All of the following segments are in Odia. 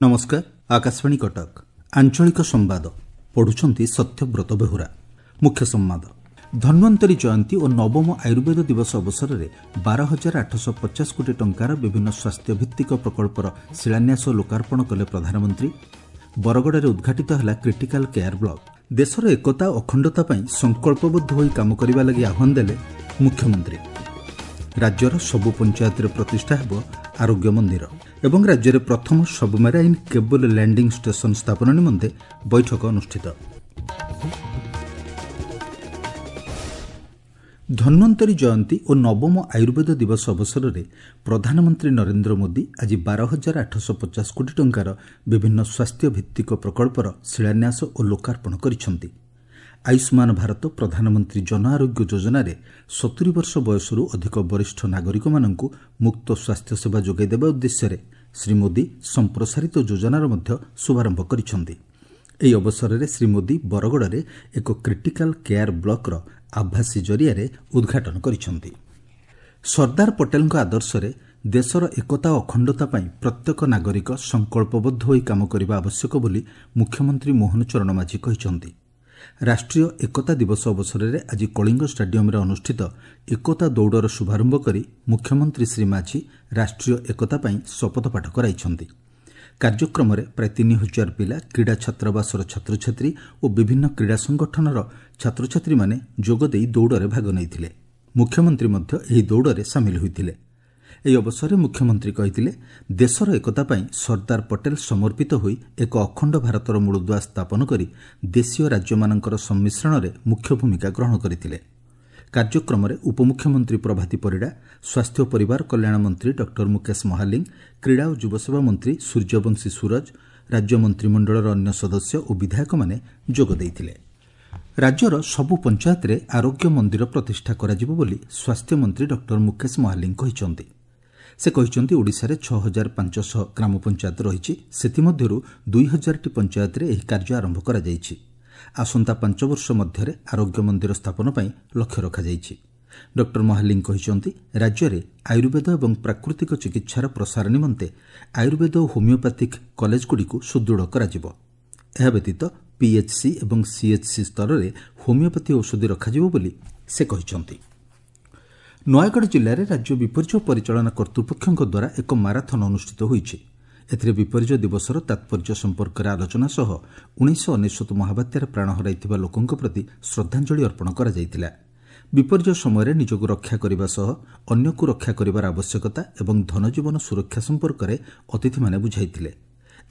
ନମସ୍କାର, ଆକାଶବାଣୀ କଟକ। ଆଞ୍ଚଳିକ ସମ୍ବାଦ ପଢୁଛନ୍ତି ସତ୍ୟବ୍ରତ ବେହୁରା। ମୁଖ୍ୟ ସମ୍ବାଦ। ଧନ୍ୱନ୍ତରୀ ଜୟନ୍ତୀ ଓ ନବମ ଆୟୁର୍ବେଦ ଦିବସ ଅବସରରେ 12,850 କୋଟି ଟଙ୍କାର ବିଭିନ୍ନ ସ୍ୱାସ୍ଥ୍ୟଭିତ୍ତିକ ପ୍ରକଳ୍ପର ଶିଳାନ୍ୟାସ ଓ ଲୋକାର୍ପଣ କଲେ ପ୍ରଧାନମନ୍ତ୍ରୀ। ବରଗଡ଼ରେ ଉଦ୍ଘାଟିତ ହେଲା କ୍ରିଟିକାଲ କେୟାର ବ୍ଲକ। ଦେଶର ଏକତା ଓ ଅଖଣ୍ଡତା ପାଇଁ ସଂକଳ୍ପବଦ୍ଧ ହୋଇ କାମ କରିବା ଲାଗି ଆହ୍ୱାନ ଦେଲେ ମୁଖ୍ୟମନ୍ତ୍ରୀ। ରାଜ୍ୟର ସବୁ ପଞ୍ଚାୟତରେ ପ୍ରତିଷ୍ଠା ହେବ ଆରୋଗ୍ୟ ମନ୍ଦିର ଏବଂ ରାଜ୍ୟରେ ପ୍ରଥମ ସବମେରାଇନ୍ କେବୁଲ ଲ୍ୟାଣ୍ଡିଂ ଷ୍ଟେସନ ସ୍ଥାପନ ନିମନ୍ତେ ବୈଠକ ଅନୁଷ୍ଠିତ। ଧନ୍ୱନ୍ତରୀ ଜୟନ୍ତୀ ଓ ନବମ ଆୟୁର୍ବେଦ ଦିବସ ଅବସରରେ ପ୍ରଧାନମନ୍ତ୍ରୀ ନରେନ୍ଦ୍ର ମୋଦି ଆଜି 12,850 କୋଟି ଟଙ୍କାର ବିଭିନ୍ନ ସ୍ୱାସ୍ଥ୍ୟଭିତ୍ତିକ ପ୍ରକଳ୍ପର ଶିଳାନ୍ୟାସ ଓ ଲୋକାର୍ପଣ କରିଛନ୍ତି। ଆୟୁଷ୍ମାନ ଭାରତ ପ୍ରଧାନମନ୍ତ୍ରୀ ଜନ ଆରୋଗ୍ୟ ଯୋଜନାରେ 70 ବର୍ଷ ବୟସରୁ ଅଧିକ ବରିଷ୍ଠ ନାଗରିକମାନଙ୍କୁ ମୁକ୍ତ ସ୍ୱାସ୍ଥ୍ୟସେବା ଯୋଗାଇ ଦେବା ଉଦ୍ଦେଶ୍ୟରେ ଶ୍ରୀ ମୋଦି ସମ୍ପ୍ରସାରିତ ଯୋଜନାର ମଧ୍ୟ ଶୁଭାରମ୍ଭ କରିଛନ୍ତି। ଏହି ଅବସରରେ ଶ୍ରୀ ମୋଦି ବରଗଡ଼ରେ ଏକ କ୍ରିଟିକାଲ କେୟାର ବ୍ଲକର ଆଭାସୀ ଜରିଆରେ ଉଦ୍ଘାଟନ କରିଛନ୍ତି। ସର୍ଦ୍ଦାର ପଟେଲଙ୍କ ଆଦର୍ଶରେ ଦେଶର ଏକତା ଓ ଅଖଣ୍ଡତା ପାଇଁ ପ୍ରତ୍ୟେକ ନାଗରିକ ସଂକଳ୍ପବଦ୍ଧ ହୋଇ କାମ କରିବା ଆବଶ୍ୟକ ବୋଲି ମୁଖ୍ୟମନ୍ତ୍ରୀ ମୋହନ ଚରଣ ମାଝୀ କହିଛନ୍ତି। ରାଷ୍ଟ୍ରୀୟ ଏକତା ଦିବସ ଅବସରରେ ଆଜି କଳିଙ୍ଗ ଷ୍ଟାଡିୟମରେ ଅନୁଷ୍ଠିତ ଏକତା ଦୌଡ଼ର ଶୁଭାରମ୍ଭ କରି ମୁଖ୍ୟମନ୍ତ୍ରୀ ଶ୍ରୀ ମାଝୀ ରାଷ୍ଟ୍ରୀୟ ଏକତା ପାଇଁ ଶପଥପାଠ କରାଇଛନ୍ତି। କାର୍ଯ୍ୟକ୍ରମରେ ପ୍ରାୟ 3,000 ପିଲା, କ୍ରୀଡ଼ା ଛାତ୍ରାବାସର ଛାତ୍ରଛାତ୍ରୀ ଓ ବିଭିନ୍ନ କ୍ରୀଡ଼ା ସଂଗଠନର ଛାତ୍ରଛାତ୍ରୀମାନେ ଯୋଗଦେଇ ଦୌଡ଼ରେ ଭାଗ ନେଇଥିଲେ। ମୁଖ୍ୟମନ୍ତ୍ରୀ ମଧ୍ୟ ଏହି ଦୌଡ଼ରେ ସାମିଲ ହୋଇଥିଲେ। ଏହି ଅବସରରେ ମୁଖ୍ୟମନ୍ତ୍ରୀ କହିଥିଲେ, ଦେଶର ଏକତା ପାଇଁ ସର୍ଦ୍ଦାର ପଟେଲ ସମର୍ପିତ ହୋଇ ଏକ ଅଖଣ୍ଡ ଭାରତର ମୂଳଦୁଆ ସ୍ଥାପନ କରି ଦେଶୀୟ ରାଜ୍ୟମାନଙ୍କର ସମ୍ମିଶ୍ରଣରେ ମୁଖ୍ୟ ଭୂମିକା ଗ୍ରହଣ କରିଥିଲେ। କାର୍ଯ୍ୟକ୍ରମରେ ଉପମୁଖ୍ୟମନ୍ତ୍ରୀ ପ୍ରଭାତୀ ପରିଡ଼ା, ସ୍ୱାସ୍ଥ୍ୟ ଓ ପରିବାର କଲ୍ୟାଣ ମନ୍ତ୍ରୀ ଡକ୍ଟର ମୁକେଶ ମହାଲିଙ୍ଗ, କ୍ରୀଡ଼ା ଓ ଯୁବସେବା ମନ୍ତ୍ରୀ ସୂର୍ଯ୍ୟବଂଶୀ ସୂରଜ, ରାଜ୍ୟ ମନ୍ତ୍ରିମଣ୍ଡଳର ଅନ୍ୟ ସଦସ୍ୟ ଓ ବିଧାୟକମାନେ ଯୋଗ ଦେଇଥିଲେ। ରାଜ୍ୟର ସବୁ ପଞ୍ଚାୟତରେ ଆରୋଗ୍ୟ ମନ୍ଦିର ପ୍ରତିଷ୍ଠା କରାଯିବ ବୋଲି ସ୍ୱାସ୍ଥ୍ୟମନ୍ତ୍ରୀ ଡକ୍ଟର ମୁକେଶ ମହାଲିଙ୍ଗ କହିଛନ୍ତି। ସେ କହିଛନ୍ତି, ଓଡ଼ିଶାରେ 6,500 ଗ୍ରାମ ପଞ୍ଚାୟତ ରହିଛି। ସେଥିମଧ୍ୟରୁ 2,000ଟି ପଞ୍ଚାୟତରେ ଏହି କାର୍ଯ୍ୟ ଆରମ୍ଭ କରାଯାଇଛି। ଆସନ୍ତା 5 ବର୍ଷ ମଧ୍ୟରେ ଆରୋଗ୍ୟ ମନ୍ଦିର ସ୍ଥାପନ ପାଇଁ ଲକ୍ଷ୍ୟ ରଖାଯାଇଛି। ଡକ୍ଟର ମହାଲିଙ୍ଗ କହିଛନ୍ତି, ରାଜ୍ୟରେ ଆୟୁର୍ବେଦ ଏବଂ ପ୍ରାକୃତିକ ଚିକିତ୍ସାର ପ୍ରସାର ନିମନ୍ତେ ଆୟୁର୍ବେଦ ଓ ହୋମିଓପାଥିକ୍ କଲେଜଗୁଡ଼ିକୁ ସୁଦୃଢ଼ କରାଯିବ। ଏହା ବ୍ୟତୀତ ପିଏଚ୍ସି ଏବଂ ସିଏଚ୍ସି ସ୍ତରରେ ହୋମିଓପାଥି ଔଷଧି ରଖାଯିବ ବୋଲି ସେ କହିଛନ୍ତି। ନୟାଗଡ଼ ଜିଲ୍ଲାରେ ରାଜ୍ୟ ବିପର୍ଯ୍ୟୟ ପରିଚାଳନା କର୍ତ୍ତୃପକ୍ଷଙ୍କ ଦ୍ୱାରା ଏକ ମାରାଥନ୍ ଅନୁଷ୍ଠିତ ହୋଇଛି। ଏଥିରେ ବିପର୍ଯ୍ୟୟ ଦିବସର ତାତ୍ପର୍ଯ୍ୟ ସମ୍ପର୍କରେ ଆଲୋଚନା ସହ 1999 ମହାବାତ୍ୟାରେ ପ୍ରାଣ ହରାଇଥିବା ଲୋକଙ୍କ ପ୍ରତି ଶ୍ରଦ୍ଧାଞ୍ଜଳି ଅର୍ପଣ କରାଯାଇଥିଲା। ବିପର୍ଯ୍ୟୟ ସମୟରେ ନିଜକୁ ରକ୍ଷା କରିବା ସହ ଅନ୍ୟକୁ ରକ୍ଷା କରିବାର ଆବଶ୍ୟକତା ଏବଂ ଧନଜୀବନ ସୁରକ୍ଷା ସମ୍ପର୍କରେ ଅତିଥିମାନେ ବୁଝାଇଥିଲେ।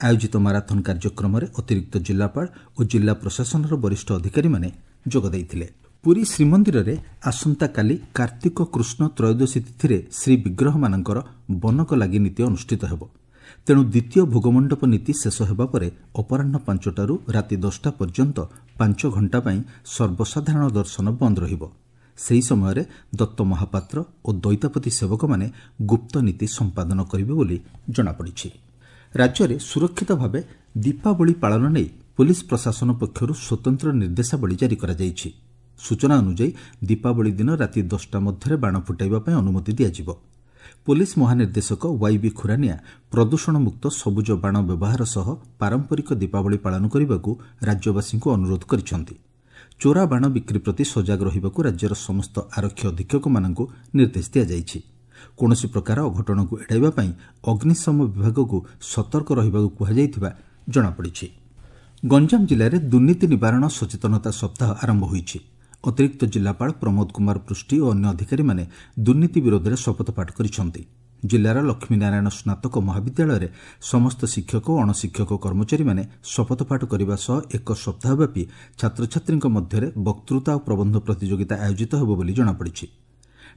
ଆୟୋଜିତ ମାରାଥନ୍ କାର୍ଯ୍ୟକ୍ରମରେ ଅତିରିକ୍ତ ଜିଲ୍ଲାପାଳ ଓ ଜିଲ୍ଲା ପ୍ରଶାସନର ବରିଷ୍ଠ ଅଧିକାରୀମାନେ ଯୋଗ ଦେଇଥିଲେ। ପୁରୀ ଶ୍ରୀମନ୍ଦିରରେ ଆସନ୍ତାକାଲି କାର୍ତ୍ତିକ କୃଷ୍ଣ ତ୍ରୟୋଦଶୀ ତିଥିରେ ଶ୍ରୀବିଗ୍ରହମାନଙ୍କର ବନକ ଲାଗି ନୀତି ଅନୁଷ୍ଠିତ ହେବ। ତେଣୁ ଦ୍ୱିତୀୟ ଭୋଗମଣ୍ଡପ ନୀତି ଶେଷ ହେବା ପରେ ଅପରାହ୍ନ 5ଟାରୁ ରାତି 10ଟା ପର୍ଯ୍ୟନ୍ତ 5 ଘଣ୍ଟା ପାଇଁ ସର୍ବସାଧାରଣ ଦର୍ଶନ ବନ୍ଦ ରହିବ। ସେହି ସମୟରେ ଦତ୍ତ ମହାପାତ୍ର ଓ ଦୈତାପତି ସେବକମାନେ ଗୁପ୍ତ ନୀତି ସମ୍ପାଦନ କରିବେ ବୋଲି ଜଣାପଡ଼ିଛି। ରାଜ୍ୟରେ ସୁରକ୍ଷିତ ଭାବେ ଦୀପାବଳି ପାଳନ ନେଇ ପୋଲିସ ପ୍ରଶାସନ ପକ୍ଷରୁ ସ୍ୱତନ୍ତ୍ର ନିର୍ଦ୍ଦେଶାବଳୀ ଜାରି କରାଯାଇଛି। ସୂଚନା ଅନୁଯାୟୀ ଦୀପାବଳି ଦିନ ରାତି 10ଟା ମଧ୍ୟରେ ବାଣ ଫୁଟାଇବା ପାଇଁ ଅନୁମତି ଦିଆଯିବ। ପୋଲିସ ମହାନିର୍ଦ୍ଦେଶକ ୱାଇବି ଖୁରାନିଆ ପ୍ରଦୂଷଣମୁକ୍ତ ସବୁଜ ବାଣ ବ୍ୟବହାର ସହ ପାରମ୍ପରିକ ଦୀପାବଳି ପାଳନ କରିବାକୁ ରାଜ୍ୟବାସୀଙ୍କୁ ଅନୁରୋଧ କରିଛନ୍ତି। ଚୋରା ବାଣ ବିକ୍ରି ପ୍ରତି ସଜାଗ ରହିବାକୁ ରାଜ୍ୟର ସମସ୍ତ ଆରକ୍ଷୀ ଅଧୀକ୍ଷକମାନଙ୍କୁ ନିର୍ଦ୍ଦେଶ ଦିଆଯାଇଛି। କୌଣସି ପ୍ରକାର ଅଘଟଣକୁ ଏଡ଼ାଇବା ପାଇଁ ଅଗ୍ନିଶମ ବିଭାଗକୁ ସତର୍କ ରହିବାକୁ କୁହାଯାଇଥିବା ଜଣାପଡ଼ିଛି। ଗଞ୍ଜାମ ଜିଲ୍ଲାରେ ଦୁର୍ନୀତି ନିବାରଣ ସଚେତନତା ସପ୍ତାହ ଆରମ୍ଭ ହୋଇଛି। ଅତିରିକ୍ତ ଜିଲ୍ଲାପାଳ ପ୍ରମୋଦ କୁମାର ପୃଷ୍ଟି ଓ ଅନ୍ୟ ଅଧିକାରୀମାନେ ଦୁର୍ନୀତି ବିରୋଧରେ ଶପଥପାଠ କରିଛନ୍ତି। ଜିଲ୍ଲାର ଲକ୍ଷ୍ମୀନାରାୟଣ ସ୍ନାତକ ମହାବିଦ୍ୟାଳୟରେ ସମସ୍ତ ଶିକ୍ଷକ ଓ ଅଣଶିକ୍ଷକ କର୍ମଚାରୀମାନେ ଶପଥପାଠ କରିବା ସହ ଏକ ସପ୍ତାହବ୍ୟାପୀ ଛାତ୍ରଛାତ୍ରୀଙ୍କ ମଧ୍ୟରେ ବକ୍ତୃତା ଓ ପ୍ରବନ୍ଧ ପ୍ରତିଯୋଗିତା ଆୟୋଜିତ ହେବ ବୋଲି ଜଣାପଡ଼ିଛି।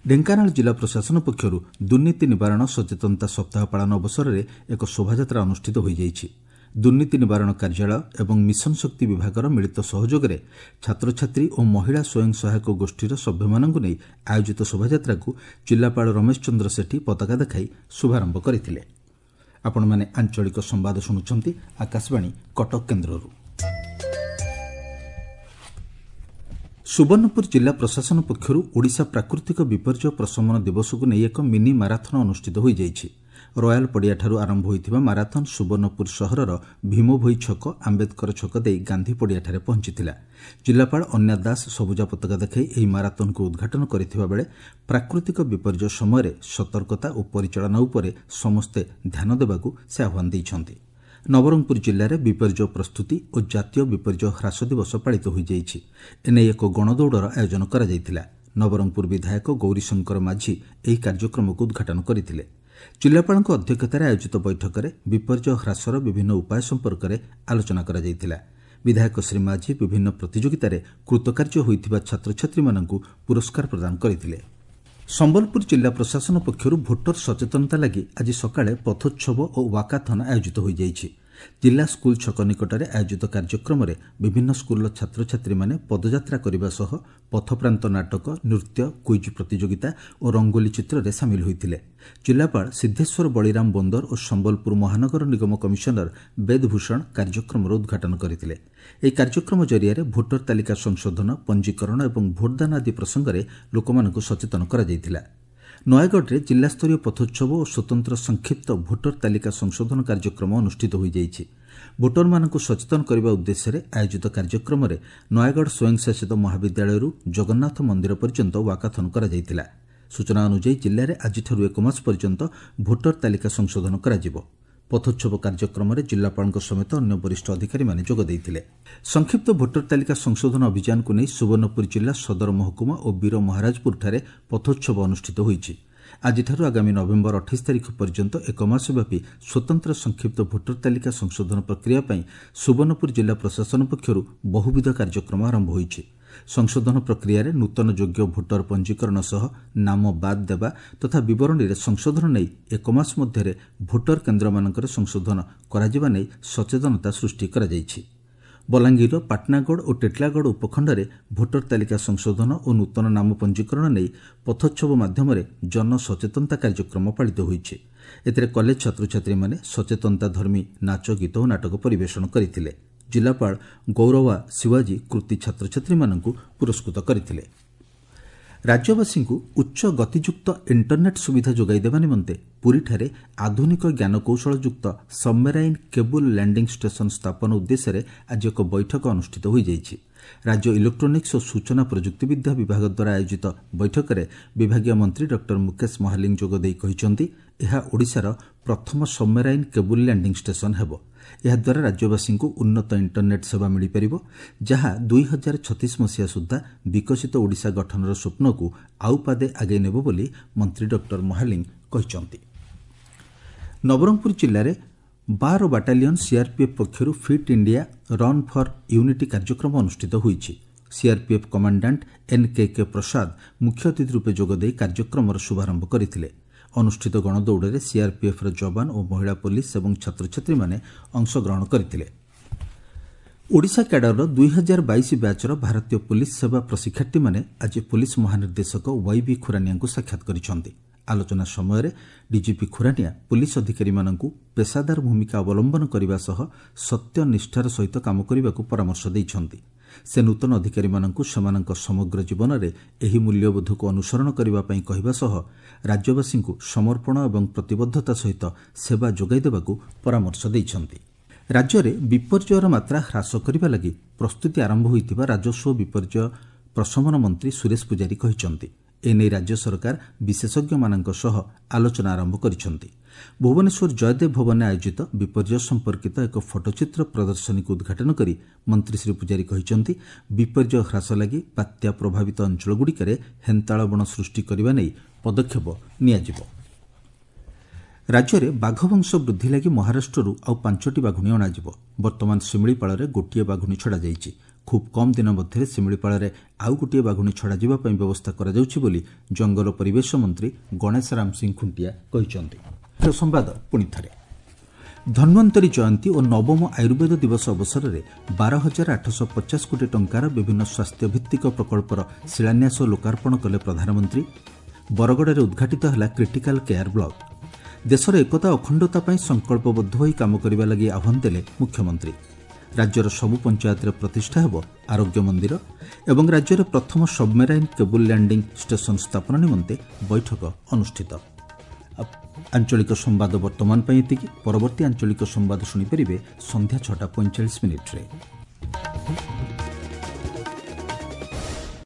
ଢେଙ୍କାନାଳ ଜିଲ୍ଲା ପ୍ରଶାସନ ପକ୍ଷରୁ ଦୁର୍ନୀତି ନିବାରଣ ସଚେତନତା ସପ୍ତାହ ପାଳନ ଅବସରରେ ଏକ ଶୋଭାଯାତ୍ରା ଅନୁଷ୍ଠିତ ହୋଇଯାଇଛି। ଦୁର୍ନୀତି ନିବାରଣ କାର୍ଯ୍ୟାଳୟ ଏବଂ ମିଶନ ଶକ୍ତି ବିଭାଗର ମିଳିତ ସହଯୋଗରେ ଛାତ୍ରଛାତ୍ରୀ ଓ ମହିଳା ସ୍ୱୟଂ ସହାୟକ ଗୋଷ୍ଠୀର ସଭ୍ୟମାନଙ୍କୁ ନେଇ ଆୟୋଜିତ ଶୋଭାଯାତ୍ରାକୁ ଜିଲ୍ଲାପାଳ ରମେଶ ଚନ୍ଦ୍ର ସେଠୀ ପତାକା ଦେଖାଇ ଶୁଭାରମ୍ଭ କରିଥିଲେ। ଆପଣମାନେ ଆଞ୍ଚଳିକ ସମ୍ବାଦ ଶୁଣୁଛନ୍ତି ଆକାଶବାଣୀ କଟକ କେନ୍ଦ୍ରରୁ। ସୁବର୍ଣ୍ଣପୁର ଜିଲ୍ଲା ପ୍ରଶାସନ ପକ୍ଷରୁ ଓଡ଼ିଶା ପ୍ରାକୃତିକ ବିପର୍ଯ୍ୟୟ ପ୍ରଶମନ ଦିବସକୁ ନେଇ ଏକ ମିନି ମାରାଥନ୍ ଅନୁଷ୍ଠିତ ହୋଇଯାଇଛି। ରୟାଲ ପଡ଼ିଆଠାରୁ ଆରମ୍ଭ ହୋଇଥିବା ମାରାଥନ୍ ସୁବର୍ଣ୍ଣପୁର ସହରର ଭୀମଭୋଇ ଛକ, ଆମ୍ବେଦକର ଛକ ଦେଇ ଗାନ୍ଧୀ ପଡ଼ିଆଠାରେ ପହଞ୍ଚିଥିଲା। ଜିଲ୍ଲାପାଳ ଅନ୍ୟା ଦାସ ସବୁଜ ପତାକା ଦେଖାଇ ଏହି ମାରାଥନ୍କୁ ଉଦ୍ଘାଟନ କରିଥିବା ବେଳେ ପ୍ରାକୃତିକ ବିପର୍ଯ୍ୟୟ ସମୟରେ ସତର୍କତା ଓ ପରିଚାଳନା ଉପରେ ସମସ୍ତେ ଧ୍ୟାନ ଦେବାକୁ ସେ ଆହ୍ୱାନ ଦେଇଛନ୍ତି। ନବରଙ୍ଗପୁର ଜିଲ୍ଲାରେ ବିପର୍ଯ୍ୟୟ ପ୍ରସ୍ତୁତି ଓ ଜାତୀୟ ବିପର୍ଯ୍ୟୟ ହ୍ରାସ ଦିବସ ପାଳିତ ହୋଇଯାଇଛି। ଏନେଇ ଏକ ଗଣଦୌଡ଼ର ଆୟୋଜନ କରାଯାଇଥିଲା। ନବରଙ୍ଗପୁର ବିଧାୟକ ଗୌରୀଶଙ୍କର ମାଝୀ ଏହି କାର୍ଯ୍ୟକ୍ରମକୁ ଉଦ୍ଘାଟନ କରିଥିଲେ। ଜିଲ୍ଲାପାଳଙ୍କ ଅଧ୍ୟକ୍ଷତାରେ ଆୟୋଜିତ ବୈଠକରେ ବିପର୍ଯ୍ୟୟ ହ୍ରାସର ବିଭିନ୍ନ ଉପାୟ ସମ୍ପର୍କରେ ଆଲୋଚନା କରାଯାଇଥିଲା। ବିଧାୟକ ଶ୍ରୀ ମାଝୀ ବିଭିନ୍ନ ପ୍ରତିଯୋଗିତାରେ କୃତକାର୍ଯ୍ୟ ହୋଇଥିବା ଛାତ୍ରଛାତ୍ରୀମାନଙ୍କୁ ପୁରସ୍କାର ପ୍ରଦାନ କରିଥିଲେ। ସମ୍ବଲପୁର ଜିଲ୍ଲା ପ୍ରଶାସନ ପକ୍ଷରୁ ଭୋଟର ସଚେତନତା ଲାଗି ଆଜି ସକାଳେ ପଥୋତ୍ସବ ଓ ୱାକାଥନ୍ ଆୟୋଜିତ ହୋଇଯାଇଛି। ଜିଲ୍ଲା ସ୍କୁଲ ଛକ ନିକଟରେ ଆୟୋଜିତ କାର୍ଯ୍ୟକ୍ରମରେ ବିଭିନ୍ନ ସ୍କୁଲର ଛାତ୍ରଛାତ୍ରୀମାନେ ପଦଯାତ୍ରା କରିବା ସହ ପଥପ୍ରାନ୍ତ ନାଟକ, ନୃତ୍ୟ, କୁଇଜ୍ ପ୍ରତିଯୋଗିତା ଓ ରଙ୍ଗୋଲି ଚିତ୍ରରେ ସାମିଲ ହୋଇଥିଲେ। ଜିଲ୍ଲାପାଳ ସିଦ୍ଧେଶ୍ୱର ବଳିରାମ ବୋନ୍ଦର ଓ ସମ୍ବଲପୁର ମହାନଗର ନିଗମ କମିଶନର ବେଦଭୂଷଣ କାର୍ଯ୍ୟକ୍ରମର ଉଦ୍ଘାଟନ କରିଥିଲେ। ଏହି କାର୍ଯ୍ୟକ୍ରମ ଜରିଆରେ ଭୋଟର ତାଲିକା ସଂଶୋଧନ, ପଞ୍ଜୀକରଣ ଏବଂ ଭୋଟଦାନ ଆଦି ପ୍ରସଙ୍ଗରେ ଲୋକମାନଙ୍କୁ ସଚେତନ କରାଯାଇଥିଲା। ନୟାଗଡ଼ରେ ଜିଲ୍ଲାସ୍ତରୀୟ ପଥୋତ୍ସବ ଓ ସ୍ୱତନ୍ତ୍ର ସଂକ୍ଷିପ୍ତ ଭୋଟର ତାଲିକା ସଂଶୋଧନ କାର୍ଯ୍ୟକ୍ରମ ଅନୁଷ୍ଠିତ ହୋଇଯାଇଛି। ଭୋଟରମାନଙ୍କୁ ସଚେତନ କରିବା ଉଦ୍ଦେଶ୍ୟରେ ଆୟୋଜିତ କାର୍ଯ୍ୟକ୍ରମରେ ନୟାଗଡ଼ ସ୍ୱୟଂଶାସିତ ମହାବିଦ୍ୟାଳୟରୁ ଜଗନ୍ନାଥ ମନ୍ଦିର ପର୍ଯ୍ୟନ୍ତ ୱାକାଥନ୍ କରାଯାଇଥିଲା। ସୂଚନା ଅନୁଯାୟୀ ଜିଲ୍ଲାରେ ଆଜିଠାରୁ ଏକ ମାସ ପର୍ଯ୍ୟନ୍ତ ଭୋଟର ତାଲିକା ସଂଶୋଧନ କରାଯିବ। ପଥୋତ୍ସବ କାର୍ଯ୍ୟକ୍ରମରେ ଜିଲ୍ଲାପାଳଙ୍କ ସମେତ ଅନ୍ୟ ବରିଷ୍ଠ ଅଧିକାରୀମାନେ ଯୋଗ ଦେଇଥିଲେ। ସଂକ୍ଷିପ୍ତ ଭୋଟର ତାଲିକା ସଂଶୋଧନ ଅଭିଯାନକୁ ନେଇ ସୁବର୍ଣ୍ଣପୁର ଜିଲ୍ଲା ସଦର ମହକୁମା ଓ ବୀରମହାରାଜପୁରଠାରେ ପଥୋତ୍ସବ ଅନୁଷ୍ଠିତ ହୋଇଛି। ଆଜିଠାରୁ ଆଗାମୀ ନଭେମ୍ବର 28 ତାରିଖ ପର୍ଯ୍ୟନ୍ତ ଏକ ମାସ ବ୍ୟାପୀ ସ୍ୱତନ୍ତ୍ର ସଂକ୍ଷିପ୍ତ ଭୋଟର ତାଲିକା ସଂଶୋଧନ ପ୍ରକ୍ରିୟା ପାଇଁ ସୁବର୍ଣ୍ଣପୁର ଜିଲ୍ଲା ପ୍ରଶାସନ ପକ୍ଷରୁ ବହୁବିଧ କାର୍ଯ୍ୟକ୍ରମ ଆରମ୍ଭ ହୋଇଛି। ସଂଶୋଧନ ପ୍ରକ୍ରିୟାରେ ନୂତନ ଯୋଗ୍ୟ ଭୋଟର ପଞ୍ଜୀକରଣ ସହ ନାମ ବାଦ୍ ଦେବା ତଥା ବିବରଣୀରେ ସଂଶୋଧନ ନେଇ ଏକ ମାସ ମଧ୍ୟରେ ଭୋଟର କେନ୍ଦ୍ରମାନଙ୍କରେ ସଂଶୋଧନ କରାଯିବା ନେଇ ସଚେତନତା ସୃଷ୍ଟି କରାଯାଇଛି। ବଲାଙ୍ଗୀରର ପାଟନାଗଡ଼ ଓ ଟିଟିଲାଗଡ଼ ଉପଖଣ୍ଡରେ ଭୋଟର ତାଲିକା ସଂଶୋଧନ ଓ ନୂତନ ନାମ ପଞ୍ଜୀକରଣ ନେଇ ପଥୋତ୍ସବ ମାଧ୍ୟମରେ ଜନସଚେତନତା କାର୍ଯ୍ୟକ୍ରମ ପାଳିତ ହୋଇଛି। ଏଥିରେ କଲେଜ ଛାତ୍ରଛାତ୍ରୀମାନେ ସଚେତନତାଧର୍ମୀ ନାଚ, ଗୀତ ଓ ନାଟକ ପରିବେଷଣ କରିଥିଲେ। ଜିଲ୍ଲାପାଳ ଗୌରବା ଶିବାଜୀ କୃତି ଛାତ୍ରଛାତ୍ରୀମାନଙ୍କୁ ପୁରସ୍କୃତ କରିଥିଲେ। ରାଜ୍ୟବାସୀଙ୍କୁ ଉଚ୍ଚ ଗତିଯୁକ୍ତ ଇଣ୍ଟରନେଟ୍ ସୁବିଧା ଯୋଗାଇ ଦେବା ନିମନ୍ତେ ପୁରୀଠାରେ ଆଧୁନିକ ଜ୍ଞାନକୌଶଳଯୁକ୍ତ ସବମେରାଇନ୍ କେବୁଲ୍ ଲ୍ୟାଣ୍ଡିଂ ଷ୍ଟେସନ ସ୍ଥାପନ ଉଦ୍ଦେଶ୍ୟରେ ଆଜି ଏକ ବୈଠକ ଅନୁଷ୍ଠିତ ହୋଇଯାଇଛି। ରାଜ୍ୟ ଇଲେକ୍ଟ୍ରୋନିକ୍ସ ଓ ସୂଚନା ପ୍ରଯୁକ୍ତିବିଦ୍ୟା ବିଭାଗ ଦ୍ୱାରା ଆୟୋଜିତ ବୈଠକରେ ବିଭାଗୀୟ ମନ୍ତ୍ରୀ ଡକ୍ଟର ମୁକେଶ ମହାଲିଙ୍ଗ ଯୋଗଦେଇ କହିଛନ୍ତି, ଏହା ଓଡ଼ିଶାର ପ୍ରଥମ ସବମେରାଇନ୍ କେବୁଲ୍ ଲ୍ୟାଣ୍ଡିଂ ଷ୍ଟେସନ ହେବ। ଏହାଦ୍ୱାରା ରାଜ୍ୟବାସୀଙ୍କୁ ଉନ୍ନତ ଇଣ୍ଟରନେଟ୍ ସେବା ମିଳିପାରିବ, ଯାହା 2036 ମସିହା ସୁଦ୍ଧା ବିକଶିତ ଓଡ଼ିଶା ଗଠନର ସ୍ୱପ୍ନକୁ ଆଉ ପାଦେ ଆଗେଇ ନେବ ବୋଲି ମନ୍ତ୍ରୀ ଡକ୍ଟର ମହାଲିଙ୍ଗ କହିଛନ୍ତି। ନବରଙ୍ଗପୁର ଜିଲ୍ଲାରେ 12 ବାଟାଲିୟନ ସିଆର୍ପିଏଫ୍ ପକ୍ଷରୁ fit India run for unity କାର୍ଯ୍ୟକ୍ରମ ଅନୁଷ୍ଠିତ ହୋଇଛି। ସିଆର୍ପିଏଫ୍ କମାଣ୍ଡାଣ୍ଟ ଏନ୍କେକେ ପ୍ରସାଦ ମୁଖ୍ୟ ଅତିଥି ରୂପେ ଯୋଗଦେଇ କାର୍ଯ୍ୟକ୍ରମର ଶୁଭାରମ୍ଭ କରିଥିଲେ। ଅନୁଷ୍ଠିତ ଗଣଦୌଡ଼ରେ ସିଆର୍ପିଏଫ୍ର ଯବାନ ଓ ମହିଳା ପୋଲିସ ଏବଂ ଛାତ୍ରଛାତ୍ରୀମାନେ ଅଂଶଗ୍ରହଣ କରିଥିଲେ। ଓଡ଼ିଶା କ୍ୟାଡରର 2022 ବ୍ୟାଚ୍ର ଭାରତୀୟ ପୋଲିସ ସେବା ପ୍ରଶିକ୍ଷାର୍ଥୀମାନେ ଆଜି ପୋଲିସ ମହାନିର୍ଦ୍ଦେଶକ ୱାଇବି ଖୁରାନିଆଙ୍କୁ ସାକ୍ଷାତ କରିଛନ୍ତି। ଆଲୋଚନା ସମୟରେ ଡିଜିପି ଖୁରାନିଆ ପୋଲିସ ଅଧିକାରୀମାନଙ୍କୁ ପେସାଦାର ଭୂମିକା ଅବଲମ୍ବନ କରିବା ସହ ସତ୍ୟ ନିଷ୍ଠାର ସହିତ କାମ କରିବାକୁ ପରାମର୍ଶ ଦେଇଛନ୍ତି। ସେ ନୂତନ ଅଧିକାରୀମାନଙ୍କୁ ସେମାନଙ୍କ ସମଗ୍ର ଜୀବନରେ ଏହି ମୂଲ୍ୟବୋଧକୁ ଅନୁସରଣ କରିବା ପାଇଁ କହିବା ସହ ରାଜ୍ୟବାସୀଙ୍କୁ ସମର୍ପଣ ଏବଂ ପ୍ରତିବଦ୍ଧତା ସହିତ ସେବା ଯୋଗାଇ ଦେବାକୁ ପରାମର୍ଶ ଦେଇଛନ୍ତି। ରାଜ୍ୟରେ ବିପର୍ଯ୍ୟୟର ମାତ୍ରା ହ୍ରାସ କରିବା ଲାଗି ପ୍ରସ୍ତୁତି ଆରମ୍ଭ ହୋଇଥିବା ରାଜସ୍ୱ ବିପର୍ଯ୍ୟୟ ପ୍ରଶମନ ମନ୍ତ୍ରୀ ସୁରେଶ ପୂଜାରୀ କହିଛନ୍ତି। ଏନେଇ ରାଜ୍ୟ ସରକାର ବିଶେଷଜ୍ଞମାନଙ୍କ ସହ ଆଲୋଚନା ଆରମ୍ଭ କରିଛନ୍ତି। ଭୁବନେଶ୍ୱର ଜୟଦେବ ଭବନରେ ଆୟୋଜିତ ବିପର୍ଯ୍ୟୟ ସମ୍ପର୍କିତ ଏକ ଫଟୋଚିତ୍ର ପ୍ରଦର୍ଶନୀକୁ ଉଦ୍ଘାଟନ କରି ମନ୍ତ୍ରୀ ଶ୍ରୀ ପୂଜାରୀ କହିଛନ୍ତି, ବିପର୍ଯ୍ୟୟ ହ୍ରାସ ଲାଗି ବାତ୍ୟା ପ୍ରଭାବିତ ଅଞ୍ଚଳଗୁଡ଼ିକରେ ହେନ୍ତାଳ ବଣ ସୃଷ୍ଟି କରିବା ନେଇ ପଦକ୍ଷେପ ନିଆଯିବ। ରାଜ୍ୟରେ ବାଘବଂଶ ବୃଦ୍ଧି ଲାଗି ମହାରାଷ୍ଟ୍ରରୁ ଆଉ 5ଟି ବାଘୁଣୀ ଅଣାଯିବ। ବର୍ତ୍ତମାନ ଶିମିଳିପାଳରେ ଗୋଟିଏ ବାଘୁଣୀ ଛଡ଼ାଯାଇଛି। ଖୁବ୍ କମ୍ ଦିନ ମଧ୍ୟରେ ଶିମିଳିପାଳରେ ଆଉ ଗୋଟିଏ ବାଘୁଣୀ ଛଡ଼ାଯିବା ପାଇଁ ବ୍ୟବସ୍ଥା କରାଯାଉଛି ବୋଲି ଜଙ୍ଗଲ ପରିବେଶ ମନ୍ତ୍ରୀ ଗଣେଶ ରାମ ସିଂ ଖୁଣ୍ଟିଆ କହିଛନ୍ତି। ସମ୍ବାଦ ପୁଣି ଥରେ। ଧନ୍ୱନ୍ତରୀ ଜୟନ୍ତୀ ଓ ନବମ ଆୟୁର୍ବେଦ ଦିବସ ଅବସରରେ 12,850 କୋଟି ଟଙ୍କାର ବିଭିନ୍ନ ସ୍ୱାସ୍ଥ୍ୟଭିତ୍ତିକ ପ୍ରକଳ୍ପର ଶିଳାନ୍ୟାସ ଓ ଲୋକାର୍ପଣ କଲେ ପ୍ରଧାନମନ୍ତ୍ରୀ। ବରଗଡ଼ରେ ଉଦ୍ଘାଟିତ ହେଲା କ୍ରିଟିକାଲ କେୟାର ବ୍ଲକ। ଦେଶର ଏକତା ଅଖଣ୍ଡତା ପାଇଁ ସଂକଳ୍ପବଦ୍ଧ ହୋଇ କାମ କରିବା ଲାଗି ଆହ୍ୱାନ ଦେଲେ ମୁଖ୍ୟମନ୍ତ୍ରୀ। ରାଜ୍ୟର ସବୁ ପଞ୍ଚାୟତରେ ପ୍ରତିଷ୍ଠା ହେବ ଆରୋଗ୍ୟ ମନ୍ଦିର ଏବଂ ରାଜ୍ୟରେ ପ୍ରଥମ ସବମେରାଇନ୍ କେବୁଲ୍ ଲ୍ୟାଣ୍ଡିଂ ଷ୍ଟେସନ ସ୍ଥାପନ ନିମନ୍ତେ ବୈଠକ ଅନୁଷ୍ଠିତ। ଆଞ୍ଚଳିକ ସମ୍ବାଦ ବର୍ତ୍ତମାନ ପାଇଁ ଏତିକି। ପରବର୍ତ୍ତୀ ଆଞ୍ଚଳିକ ସମ୍ବାଦ ଶୁଣିପାରିବେ ସନ୍ଧ୍ୟା 6ଟା 45 ମିନିଟ୍ରେ।